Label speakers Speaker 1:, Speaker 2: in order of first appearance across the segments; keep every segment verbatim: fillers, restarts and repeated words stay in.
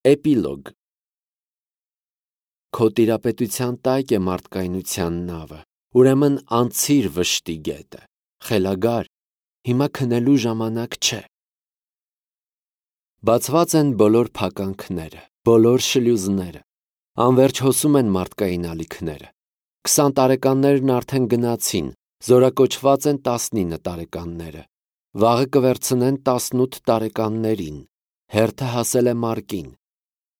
Speaker 1: Էպիլոգ Քո տիրապետության տակ է մարդկայնության նավը, ուրեմն անցիր վշտի գետը, խելագար, հիմա քնելու ժամանակ չէ։ Բացված են բոլոր փականքները, բոլոր շլյուզները, անվերջ հոսում են մարդկային ալիքները։ Քսան տարեկաններն արդեն գնացին, զորակոչված են տասնինը տարեկանները, վաղը կվերցնեն տասնութ տարեկաններին, հերթը հասել է մարկին։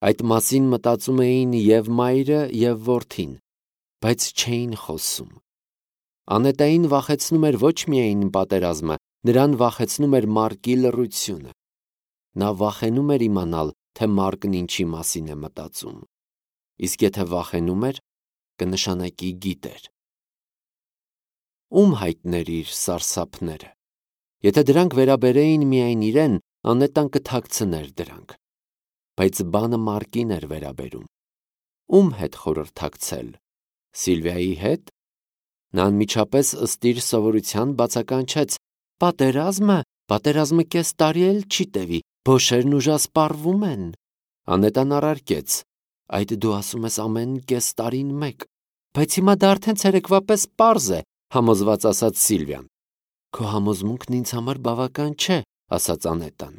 Speaker 1: Այդ մասին մտածում էին և մայրը, և որդին, բայց չէին խոսում։ Անետային վախեցնում էր ոչ միայն պատերազմը, նրան վախեցնում էր մարկի լռությունը։ Նա վախենում էր իմանալ, թե մարկն ինչի մասին է մտածում։ Իսկ եթե վախենում էր, կնշանակի գիտեր։ Ում հայտներիր սարսափները։ Եթե դրանք վերաբերեին միայն իրեն, Անետան կթաքցներ դրանք։ Բայց բանը մարկին էր վերաբերում։ Ում հետ խորհրդակցել։ Սիլվիայի հետ։ Նա անմիջապես ըստ իր սովորության բացականչեց. Պատերազմը, պատերազմը կես տարի էլ չի տևի, փոշերն ուժասպառվում են։ Անետան առարկեց. Այդ դու ասում ես ամեն կես տարին մեկ, բայց հիմա դա արդեն ցերեկվա պես պարզ է, համոզված ասաց Սիլվիան։ Քո համոզմունքն ինձ համար բավական չէ, ասաց Անետան։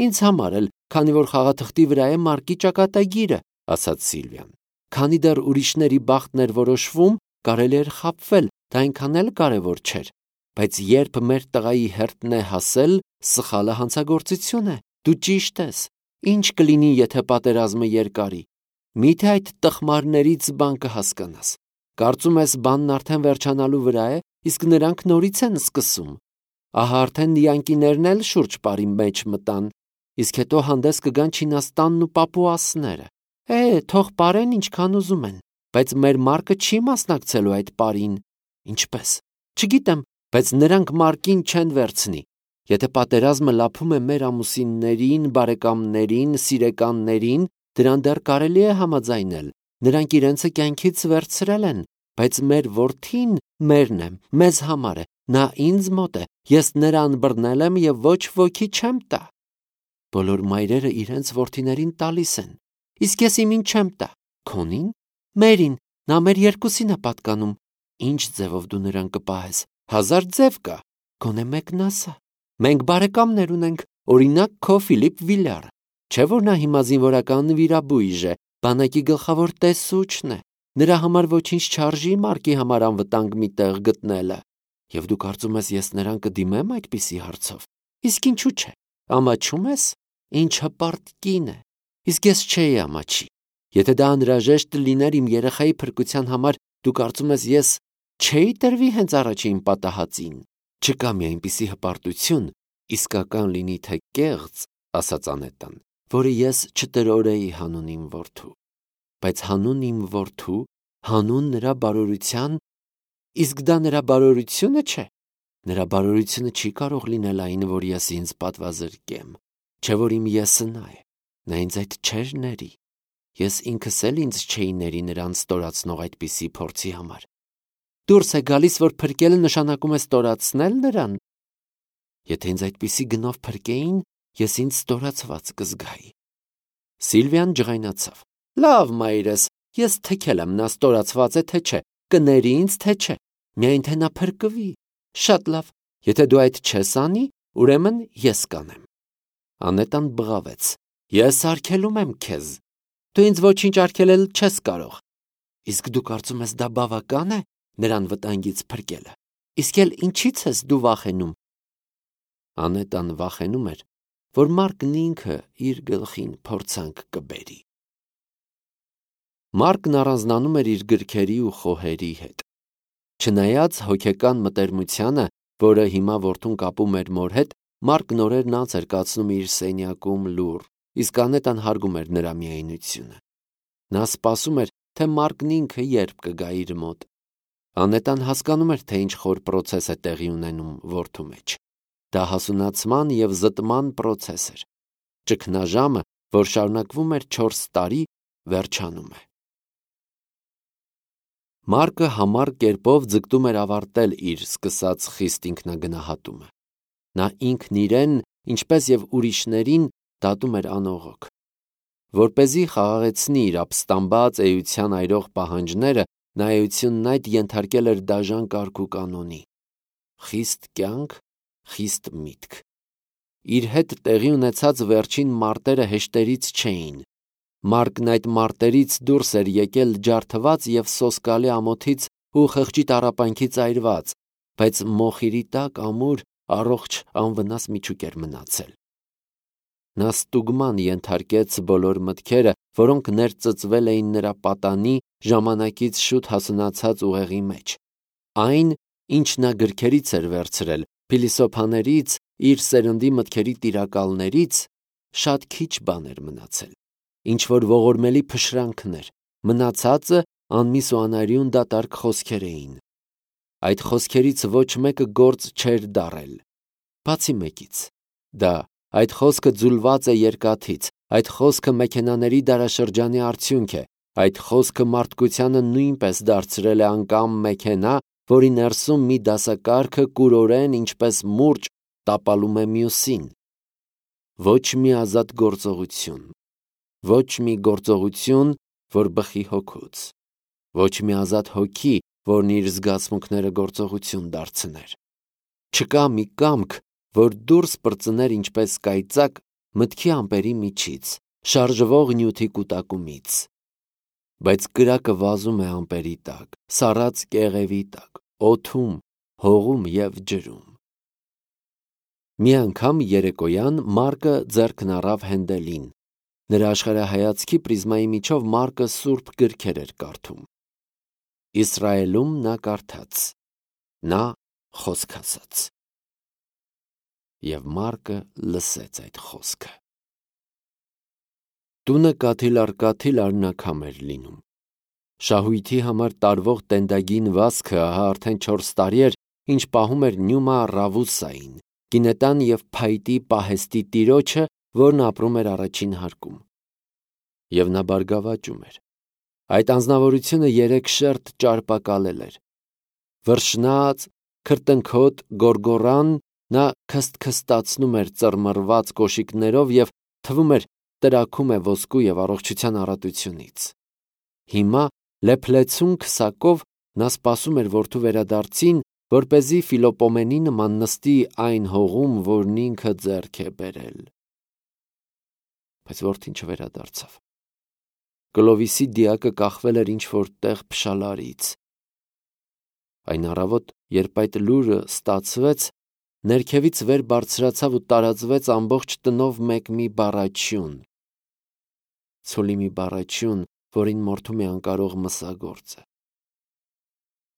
Speaker 1: Ինձ համար էլ, քանի որ խաղաթղթի վրա է մարկի ճակատագիրը, ասաց Սիլվիան։ Քանի դեռ ուրիշների բախտն էր որոշվում, կարելի էր խաբվել, դա այնքան էլ կարևոր չէր։ Բայց երբ մեր տղայի հերթն է հասել, սխալը հանցագործություն է։ Դու ճիշտ ես։ Ինչ կլինի, եթե պատերազմը երկարի։ Միթե այդ տխմարներից բան կհասկանաս։ Կարծում ես բանն արդեն վերջանալու վրա է, իսկ նրանք նորից են սկսում։ Ահա արդեն յանկիներն էլ շուրջ պարի մեջ մտան, իսկ հետո հանդես կգան Չինաստանն ու Պապուասները։ Է, թող պարեն ինչքան ուզում են, բայց մեր մարկը չի մասնակցելու այդ պարին։ Ինչպես։ Չգիտեմ, բայց նրանք մարկին չեն վերցնի։ Եթե պատերազմը լափում է մեր ամուսիններին, բարեկամներին, սիրեկաններին, դրան դեռ կարելի է համաձայնել։ Նրանք իրենցը կյանքից վերցրել են, բայց մեր որդին մերն է, մեզ համար է, նա ինձ մոտ է, ես նրան բռնել եմ և ոչ ոքի չեմ տա։ Բոլոր մայրերը իրենց որդիներին տալիս են, իսկ ես իմին չեմ տա։ Քոնին, մերին, նա մեր երկուսին է պատկանում։ Ինչ ձևով դու նրան կպահես։ Հազար ձև կա, գոնե մեկն ասա։ Մենք բարեկամներ ունենք, օրինակ քո Ֆիլիպ Վիլյարը, չէ՞ որ նա հիմա զինվորական վիրաբույժ է, բանակի գլխավոր տեսուչն է։ Նրա համար ոչինչ չարժի մարկի համար անվտանգ մի տեղ գտնելը։ Եվ դու կարծում ես, ես նրան կդիմեմ այդպիսի հարցով։ Իսկ ինչու՞ չէ։ Ամաչում ես։ Ինչ հպարտ կին է։ Իսկ ես չէի ամաչի։ Եթե դա անհրաժեշտ լիներ իմ երեխայի փրկության համար, դու կարծում ես, ես չէի տրվի հենց առաջին պատահածին։ Չկա մի այնպիսի հպարտություն, իսկական լինի թե կեղծ, ասաց Անետան, որը ես չտրորեի հանուն իմ որդու։ Բայց հանուն իմ որդու, հանուն նրա բարօրության, իսկ դա նրա բարօրությունը չէ։ Նրա բարօրությունը չի կարող լինել այն, որ ես ինձ պատվազրկեմ, չէ որ իմ եսը նա է։ Նա ինձ այդ չէր ների։ Ես ինքս էլ ինձ չէի ների նրան ստորացնող այդպիսի փորձի համար։ Դուրս է գալիս, որ փրկելը նշանակում է ստորացնել նրան։ Եթե ինձ այդպիսի գնով փրկեին, ես ինձ ստորացված կզգայի։ Սիլվիան ջղայնացավ։ Լավ, մայրս, ես թքել եմ, նա ստորացված է թե չէ, կների ինձ թե չէ, միայն թե նա փրկվի։ Շատ լավ, եթե դու այդ չես անի, ուրեմն ես կանեմ։ Անետան բղավեց։ Ես արգելում եմ քեզ։ Դու ինձ ոչինչ արգելել չես կարող։ Իսկ դու կարծում ես դա բավական է նրան վտանգից փրկելը։ Իսկ էլ ինչի՞ց ես դու վախենում։ Անետան վախենում էր, որ Մարկն ինքը իր գլխին փորձանք կբերի։ Մարկն առանձնանում էր իր գրքերի ու խոհերի հետ։ Չնայած հոգեկան մտերմությանը, որը հիմա որդուն կապում էր մոր հետ, Մարկն օրերն անց էր կացնում իր սենյակում լուռ, իսկ Անետան հարգում էր նրա միայնությունը։ Նա սպասում էր, թե Մարկն ինքը երբ կգա իր մոտ։ Անետան հասկանում էր, թե ինչ խոր պրոցես է տեղի ունենում որդու մեջ։ Դա հասունացման և զտման պրոցես էր։ Ճգնաժամը, որ շարունակվում էր չորս տարի, վերջանում է։ Մարկը համառ կերպով ձգտում էր ավարտել իր սկսած խիստ ինքնագնահատումը։ Նա ինքն իրեն, ինչպես և ուրիշներին, դատում էր անողոք։ որպեսզի խաղաղեցնի իր ապստամբած էության այրող պահանջները, նա էությունն այդ ենթարկել էր դաժան կարգ ու կանոնի։ Խիստ կյանք, խիստ միտք։ Իր հետ տեղի ունեցած վերջին մարտերը հեշտերից չէին։ Մարկն այդ մարտերից դուրս էր եկել ջարդված և սոսկալի ամոթից ու խղճի տառապանքից այրված, բայց մոխիրի տակ ամուր, առողջ, անվնաս միջուկ էր մնացել։ Նա ստուգման ենթարկեց բոլոր մտքերը, որոնք ներծծվել էին նրա պատանի ժամանակից շուտ հասունացած ուղեղի մեջ։ Այն, ինչ նա գրքերից էր վերցրել, փիլիսոփաներից, իր սերնդի մտքերի տիրակալներից, շատ քիչ բան էր մնացել, ինչ-որ ողորմելի փշրանքներ, մնացածը անմիս ու անարյուն դատարկ խոսքեր էին։ Այդ խոսքերից ոչ մեկը գործ չէր դառել, բացի մեկից։ Դա այդ խոսքը ձուլված է երկաթից, այդ խոսքը մեքենաների դարաշրջանի արդյունք է, այդ խոսքը մարդկությանը նույնպես դարձրել է անկամ մեքենա, որի ներսում մի դասակարգը կուրորեն, ինչպես մուրճ, տապալում է մյուսին։ Ոչ մի ազատ գործողություն, ոչ մի գործողություն, որ բխի հոգուց, ոչ մի ազատ հոգի, որն իր զգացմունքները գործողություն դարձներ։ Չկա մի կամք, որ դուրս պրծներ ինչպես կայծակ մտքի ամպերի միջից, շարժվող նյութի կուտակումից։ Բայց կրակը վազում է ամպերի տակ, սառած կեղևի տակ, օդում, հողում և ջրում։ Մի անգամ երեկոյան Մարկը ձեռքն առավ Հենդելին։ Նրա աշխարհայացքի պրիզմայի միջով Մարկը սուրբ գրքեր էր կարդում։ Իսրայելում նա կարդաց, նա խոսք ասաց։ Եվ Մարկը լսեց այդ խոսքը։ Տունը կաթիլ առ կաթիլ արնաքամ էր լինում։ Շահույթի համար տարվող տենդագին վազքը ահա արդեն չորս տարի էր, ինչ պահում էր Նյումա Ռավուսային, գինետան և փայտի պահեստի տիրոջը, որն ապրում էր առաջին հարկում։ Եվ նա բարգավաճում էր։ Այդ անձնավորությունը երեք շերտ ճարպակալել էր։ Վրշնած, քրտնքոտ, գորգոռան, նա քստքստացնում էր ծռմռված կոշիկներով և թվում էր տրաքում է ոսկու և առողջության առատությունից։ Հիմա լեփլեցուն քսակով նա սպասում էր որդու վերադարձին, որպեսզի Ֆիլոպոմենի նման նստի այն հողում, որն ինքը ձեռք է բերել։ Բայց որդին չվերադարձավ։ Կլովիսի դիակը կախվել էր ինչ-որ տեղ փշալարից։ Այն առավոտ, երբ այդ լուրը ստացվեց, ներքևից վեր բարձրացավ ու տարածվեց ամբողջ տնով մեկ մի բառաչյուն։ Ցոլի մի բառաչյուն, որին մորթում է անկարող մսագործը։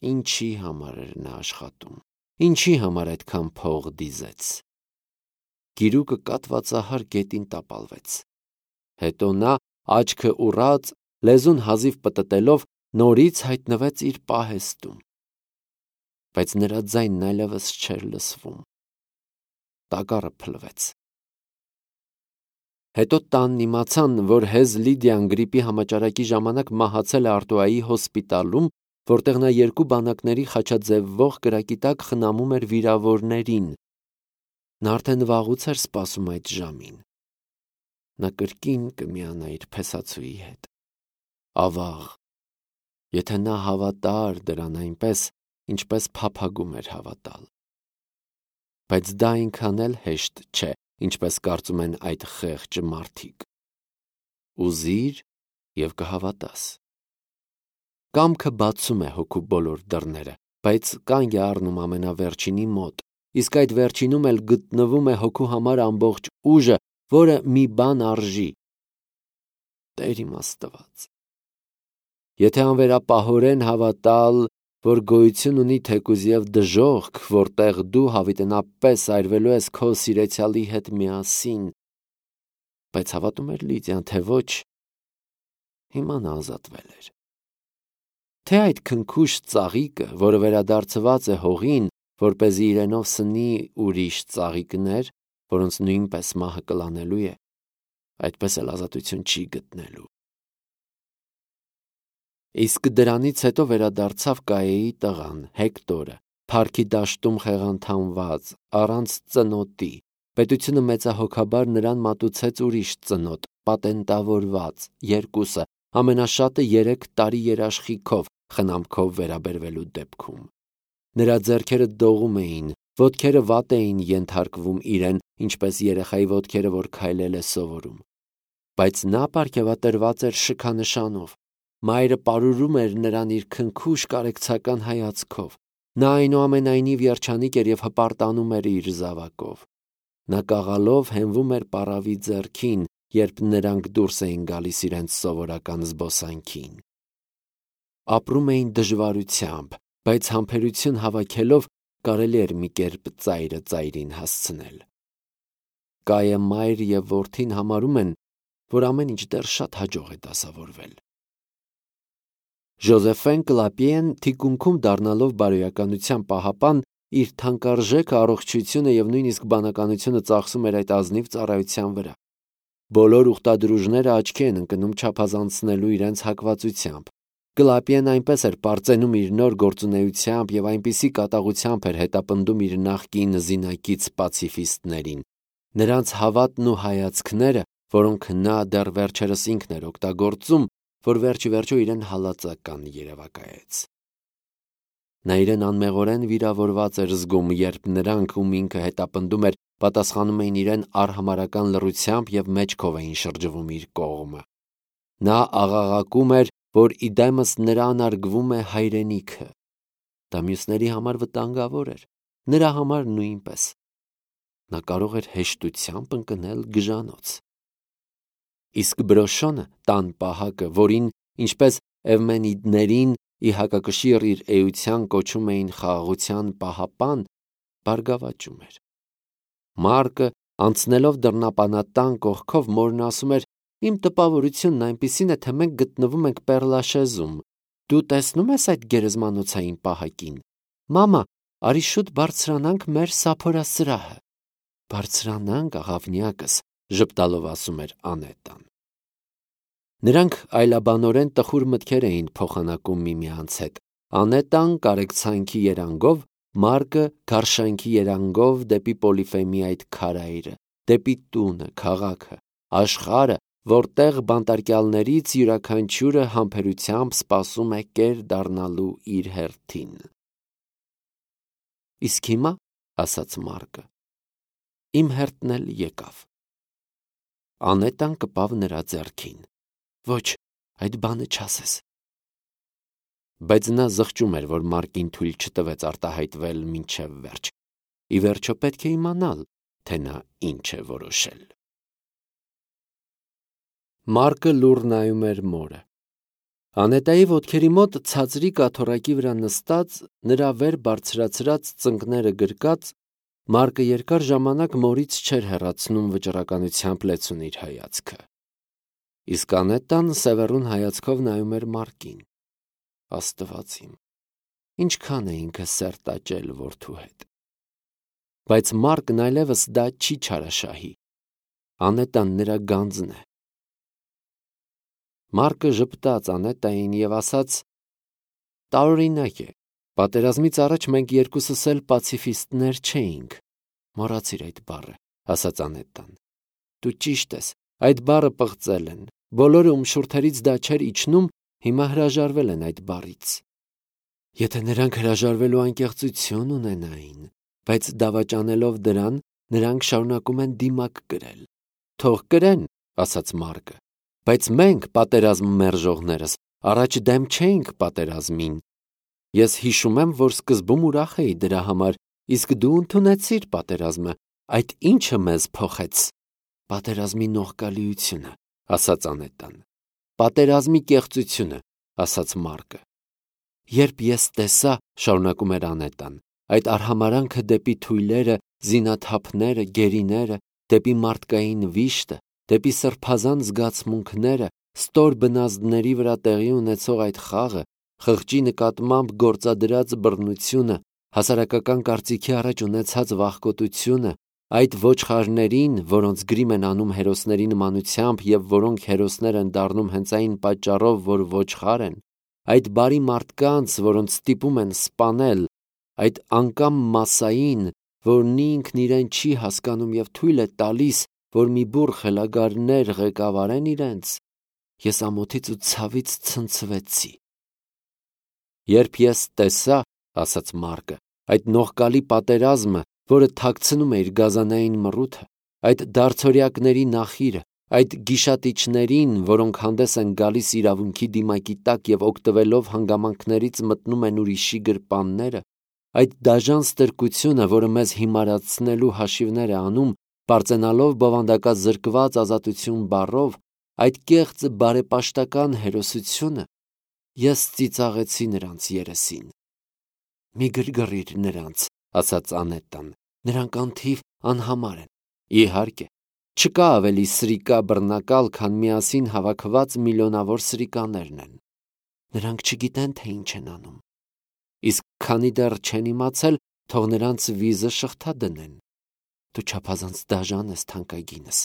Speaker 1: Ինչի համար էր նա աշխատում, ինչի համար այդքան փող դիզեց։ Գիրուկը կատվածահար գետին տապալվեց։ Հետո նա, աչքը ուռած, լեզուն հազիվ պտտելով, նորից հայտնվեց իր պահեստում։ Բայց նրա ձայնն այլևս չէր լսվում։ Տակառը փլվեց։ Հետո տանն իմացան, որ հեզ Լիդիան գրիպի համաճարակի ժամանակ մահացել է Արտուայի հոսպիտալում, որտեղ նա երկու բանակների խաչաձևվող կրակի տակ խնամում էր վիրավորներին։ Նա արդեն վաղուց էր սպասում այդ ժամին։ Նա կրկին կմիանա իր փեսացուի հետ։ Ավաղ, եթե նա հավատար դրան այնպես, ինչպես փափագում էր հավատալ։ Բայց դա այնքան էլ հեշտ չէ, ինչպես կարծում են այդ խեղճ մարդիկ։ Ուզիր և կհավատաս։ Կամքը բացում է հոգու բոլոր դռները, բայց կանգ է առնում ամենավերջինի մոտ, իսկ այդ վերջինում էլ գտնվում է հոգու համար ամբողջ ուժը, որը մի բան արժի։ Տեր իմ Աստված։ Եթե անվերապահորեն հավատալ, որ գոյություն ունի թեկուզ և դժոխք, որտեղ դու հավիտենապես այրվելու ես քո սիրեցյալի հետ միասին, բայց հավատում էր Լիդիան, թե ոչ, հիմա նա ազատվել էր։ Թե այդ քնքուշ ծաղիկը, որը վերադարձված է հողին, որպեսզի իրենով սնի ուրիշ ծաղիկներ, որոնց նույնպես մահը կլանելու է, այդպես էլ ազատություն չի գտնելու։ Իսկ դրանից հետո վերադարձավ Կայեի տղան, Հեկտորը, փառքի դաշտում խեղանթանված, առանց ծնոտի, պետությունը մեծահոգաբար նրան մատուցեց ուրիշ ծնոտ, պատենտավորված, երկուսը, ամենաշատը երեք տարի երաշխիքով խնամքով վերաբերվելու դեպքում։ Նրա ձեռքերը դողում էին, ոտքերը վատ էին ենթարկվում իրեն, ինչպես երեխայի ոտքերը, որ քայլել է սովորում։ Բայց նա պարգևատրված էր շքանշանով։ Մայրը պարուրում էր նրան իր քնքուշ կարեկցական հայացքով։ Նա այնուամենայնիվ երջանիկ էր և հպարտանում էր իր զավակով։ Նա կաղալով հենվում էր պառավի ձեռքին, երբ նրանք դուրս էին գալիս իրենց սովորական զբոսանքին։ Ապրում էին դժվարությամբ, բայց համբերություն հավաքելով կարելի էր մի կերպ ծայրը ծայրին հասցնել։ Կայը մայր և որդին համարում են, որ ամեն ինչ դեռ շատ հաջող է դասավորվել։ Ժոզեֆեն Կլապիեն թիկունքում դառնալով բարոյականության պահապան, իր թանկարժեք առողջությունը և նույնիսկ բանականությունը ծախսում էր այդ ազնիվ ծառայության վրա։ Բոլոր ուխտադրուժները աչքի են ընկնում չափազանցնելու իրենց հակվածությամբ։ Կլապիեն այնպես էր պարծենում իր նոր գործունեությամբ և այնպիսի կատաղությամբ էր հետապնդում իր նախկին զինակից պացիֆիստներին։ Նրանց հավատն ու հայացքները, որոնք նա դեռ վերջերս ինքն էր օգտագործում, որ վերջիվերջո իրեն հալածական երևակայեց։ Նա իրեն անմեղորեն վիրավորված էր զգում, երբ նրանք, ում ինքը հետապնդում էր, պատասխանում էին իրեն արհամարհական լռությամբ և մեջքով էին շրջվում իր կողմը։ Նա աղաղակում էր, որ իդեմս նրան արգվում է հայրենիքը։ Դա մյուսների համար վտանգավոր էր, նրա համար նույնպես։ Նա կարող էր հեշտությամբ ընկնել գժանոց։ Իսկ Բրոշոնը, տան պահակը, որին, ինչպես Էվմենիդներին, ի հակակշիռ իր էության կոչում էին խաղաղության պահապան, բարգավաճում էր։ Մարկը, անցնելով դռնապանատան կողքով, մորն ասում էր. «Իմ տպավորությունն այնպիսին է, թե մենք գտնվում ենք Պեռլաշեզում։ Դու տեսնո՞ւմ ես այդ գերեզմանոցային պահակին։ Մամա, արի շուտ բարձրանանք մեր սափորասրահը»։ «Բարձրանանք, աղավնյակս», ժպտալով ասում էր Անետան։ Նրանք այլաբանորեն տխուր մտքեր էին փոխանակում միմյանց հետ։ Անետան կարեկցանքի երանգով, Մարկը գարշանքի երանգով դեպի Պոլիֆեմի այդ քարայրը, դեպի տունը, քաղաքը, աշխարհը, որտեղ բանտարկյալներից յուրաքանչյուրը համբերությամբ սպասում է կեր դառնալու իր հերթին։ Իսկ հիմա, ասաց Մարկը, իմ հերթն էլ եկավ։ Անետան կպավ նրա ձեռքին։ Ոչ, այդ բանը չասես։ Բայց նա զղջում էր, որ Մարկին թույլ չտվեց արտահայտվել մինչև վերջ։ Ի վերջո պետք է իմանալ, թե նա ինչ է որոշել։ Մարկը լուռ նայում էր մորը։ Անետայի ոտքերի մոտ ցածրի կաթոռակի վրա նստած, նրա վեր բարձրացրած ծնկները գրկած, Մարկը երկար ժամանակ մորից չէր հեռացնում վճռականությամբ լեցուն իր հայացքը։ Իսկ Անետան սևեռուն հայացքով նայում էր Մարկին։ Աստված իմ, ինչքան է ինքը սերտ աճել որդու հետ։ Բայց Մարկն այլևս դա չի չարաշահի։ Անետան նրա գանձն է։ Մարկը ժպտաց Անետային և ասաց. տարօրինակ է, պատերազմից առաջ մենք երկուսս էլ պացիֆիստներ չէինք։ Մոռացիր այդ բառը, ասաց Անետան։ Դու ճիշտ ես, այդ բառը պղծել են։ Բոլորը, ում շուրթերից դա չէր իջնում, հիմա հրաժարվել են այդ բառից։ Եթե նրանք հրաժարվելու անկեղծություն ունենային, բայց դավաճանելով դրան, նրանք շարունակում են դիմակ կրել։ Թող կրեն, ասաց Մարկը, բայց մենք, պատերազմ մերժողներս, առաջ դեմ չէինք պատերազմին։ Ես հիշում եմ, որ սկզբում ուրախ էի դրա համար, իսկ դու ընդունեցիր պատերազմը, այդ ինչը մեզ փոխեց։ Պատերազմի նողկալիությունը, ասաց Անետան։ Պատերազմի կեղծությունը, ասաց Մարկը։ Երբ ես տեսա, շարունակում էր Անետան, այդ արհամարանքը դեպի թույլերը, զինաթափները, գերիները, դեպի մարդկային վիշտը, դեպի սրբազան զգացմունքները, ստոր բնազդների վրա տեղի ունեցող այդ խաղը, խղճի նկատմամբ գործադրած բռնությունը, հասարակական կարծիքի առաջ ունեցած վախկոտությունը, այդ ոչխարներին, որոնց գրիմ են անում հերոսների նմանությամբ և որոնք հերոսներ են դառնում հենց այն պատճառով, որ ոչխար են, այդ բարի մարդկանց, որոնց ստիպում են սպանել, այդ անկամ մասսային, որն ինքն իրեն չի հասկանում և թույլ է տալիս, որ մի բուռ խելագարներ ղեկավարեն իրենց, ես ամոթից ու ցավից ցնցվեցի։ Երբ ես տեսա, ասաց Մարկը, այդ նողկալի պատերազմը, որը թաքցնում է իր գազանային մռութը, այդ դարձորյակների նախիրը, այդ գիշատիչներին, որոնք հանդես են գալիս իրավունքի դիմակի տակ և օգտվելով հանգամանքներից մտնում են ուրիշի գրպանները, այդ դաժան ստրկությունը, որը մեզ հիմարացնելու հաշիվներ է անում, պարծենալով բովանդակազրկված ազատություն բառով, այդ կեղծ բարեպաշտական հերոսությունը, ես ծիծաղեցի նրանց երեսին։ Մի գրգռիր նրանց, ասաց Անետան, նրանք անթիվ անհամար են։ Իհարկե, չկա ավելի սրիկա բռնակալ, քան միասին հավաքված միլիոնավոր սրիկաներն են։ Նրանք չգիտեն, թե ինչ են անում։ Իսկ քանի դեռ չեն իմացել, թող նրանց վիզը շղթա դնեն։ Դու չափազանց դաժան ես, թանկագինս։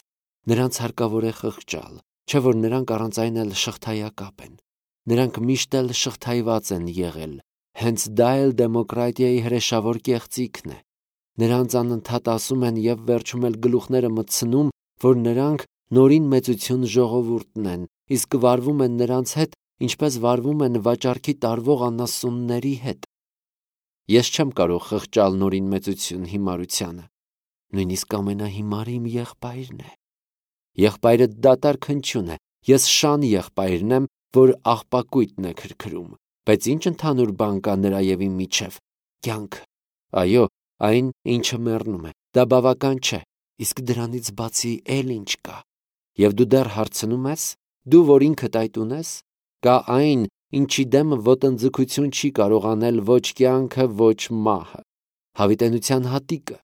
Speaker 1: Նրանց հարկավոր է խղճալ, չէ՞ որ նրանք առանց այն էլ շղթայակապ են։ Նրանք միշտ էլ շղթայված են եղել, հենց դա էլ դեմոկրատիայի հրեշավոր կեղծիքն է։ Նրանց անընդհատ ասում են և վերջում էլ գլուխները մտցնում, որ նրանք նորին մեծություն ժողովուրդն են, իսկ վարվում են նրանց հետ, ինչպես վարվում են վաճառքի տարվող անասունների հետ։ Ես չեմ կարող խղճալ նորին մեծություն հիմարությանը, նույնիսկ ամենահիմարը իմ եղբայրն է։ Եղբայրը դատարկ հնչյուն է, ես շան եղբայրն եմ, որ աղբակույտն է քրքրում, բայց ինչ ընդհանուր բան կա նրա և իմ միջև։ Կյանքը, այո, այն, ինչը մեռնում է, դա բավական չէ, իսկ դրանից բացի էլ ինչ կա։ Եվ դու դեռ հարցնում ես, դու, որ ինքդ այդ ունես, կա այն, ինչի դեմ ոտնձգություն չի կարող անել ոչ կյանքը, ոչ մահը, հավիտենության հատիկը։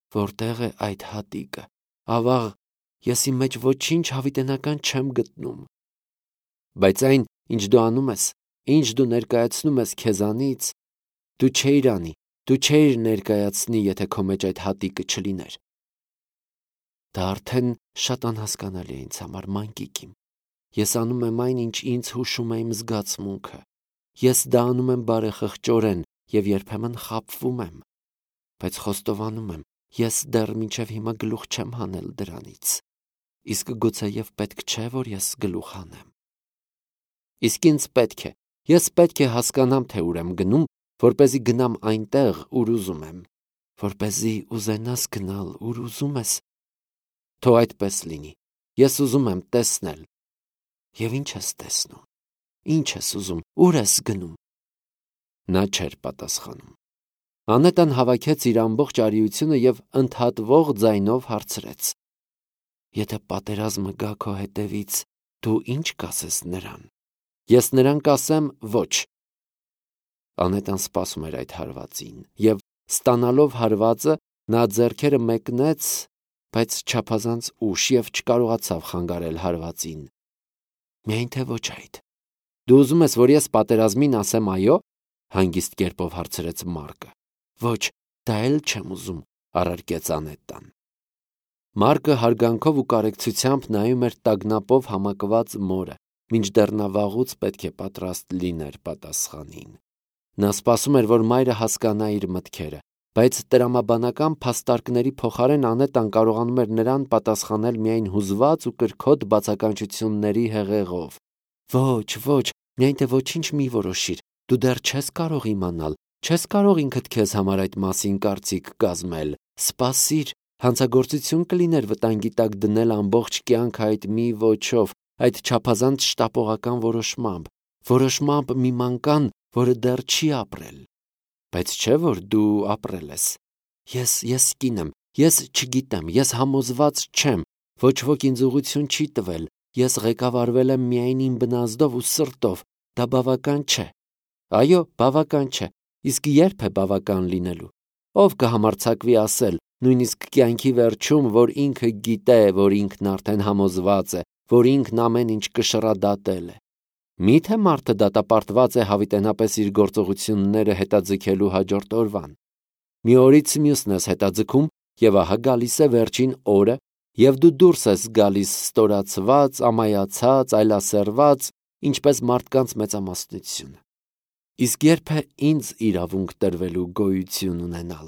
Speaker 1: Որտեղ է այդ հատիկը։ Ավաղ, ես իմ մեջ ոչինչ հավիտենական չեմ գտնում։ Բայց այն, ինչ դու անում ես, ինչ դու ներկայացնում ես քեզանից, դու չէիր անի, դու չէիր ներկայացնի, եթե քո մեջ այդ հատիկը չլիներ։ Դա արդեն շատ անհասկանալի է ինձ համար, մանկիկ իմ։ Ես անում եմ այն, ինչ ինձ հուշում է իմ զգացմունքը։ Ես դա անում եմ բարեխղճորեն և երբեմն խաբվում եմ, բայց խոստովանում եմ, ես դեռ մինչև հիմա գլուխ չեմ հանել դրանից։ Իսկ գուցեև պետք չէ, որ ես գլուխ հանեմ։ Իսկ ինձ պետք է, ես պետք է հասկանամ, թե ուր եմ գնում, որպեսզի գնամ այնտեղ, ուր ուզում եմ, որպեսզի ուզենաս գնալ, ուր ուզում ես։ Թող այդպես լինի։ Ես ուզում եմ տեսնել։ Եվ ինչ ես տեսնում։ Ինչ ես ուզում, ուր ես գնում։ Նա չէր պատասխանում։ Անետան հավաքեց իր ամբողջ արիությունը և ընդհատվող ձայնով հարցրեց. Եթե պատերազմը գա քո հետևից, դու ինչ կասես նրան։ Ես նրան կասեմ ոչ։ Անետան սպասում էր այդ հարվածին, և ստանալով հարվածը, նա ձեռքերը մեկնեց, բայց չափազանց ուշ և չկարողացավ խանգարել հարվածին։ Միայն թե ոչ այդ։ Դու ուզում ես, որ ես պատերազմին ասեմ այո, հանգիստ կերպով հարցրեց Մարկը։ Ոչ, դա էլ չեմ ուզում, առարկեց Անետան։ Մարկը հարգանքով ու կարեկցությամբ նայում էր տագնապով համակված մորը, մինչդեռ նա վաղուց պետք է պատրաստ լիներ պատասխանին։ Նա սպասում էր, որ մայրը հասկանա իր մտքերը, բայց տրամաբանական փաստարկների փոխարեն Անետան կարողանում էր նրան պատասխանել միայն հուզված ու կրքոտ բացականչությունների հեղեղով։ Ոչ, ոչ, միայն թե ոչինչ մի որոշիր, դու դեռ չես կարող իմանալ, չես կարող ինքդ քեզ համար այդ մասին կարծիք կազմել։ Սպասիր, հանցագործություն կլիներ վտանգի տակ դնել ամբողջ կյանքը այդ մի ոչով, այդ չափազանց շտապողական որոշմամբ, որոշմամբ մի մանկան, որը դեռ չի ապրել։ Բայց չէ՞ որ դու ապրել ես։ Ես, ես կին եմ, ես չգիտեմ, ես համոզված չեմ, ոչ ոք ինձ ուղղություն չի տվել, ես ղեկավարվել եմ միայն իմ բնազդով ու սրտով, դա բավական չէ։ Այո, բավական չէ, իսկ երբ է բավական լինելու։ Ով կհամարձակվի ասել, նույնիսկ կյանքի վերջում, որ ինքը գիտե, որ ինքն արդեն համոզված է, որ ինքն ամեն ինչ կշռադատել է։ Մի՞թե մարդը դատապարտված է հավիտենապես իր գործողությունները հետաձգելու հաջորդ օրվան։ Մի օրից մյուսն ես հետաձգում, և ահա գալիս է վերջին օրը, և դու դուրս ես գալիս ստորացված, ամայացած, այլասերված, ինչպես մարդկանց մեծամասնությունը։ Իսկ երբ է ինձ իրավունք տրվելու գոյություն ունենալ։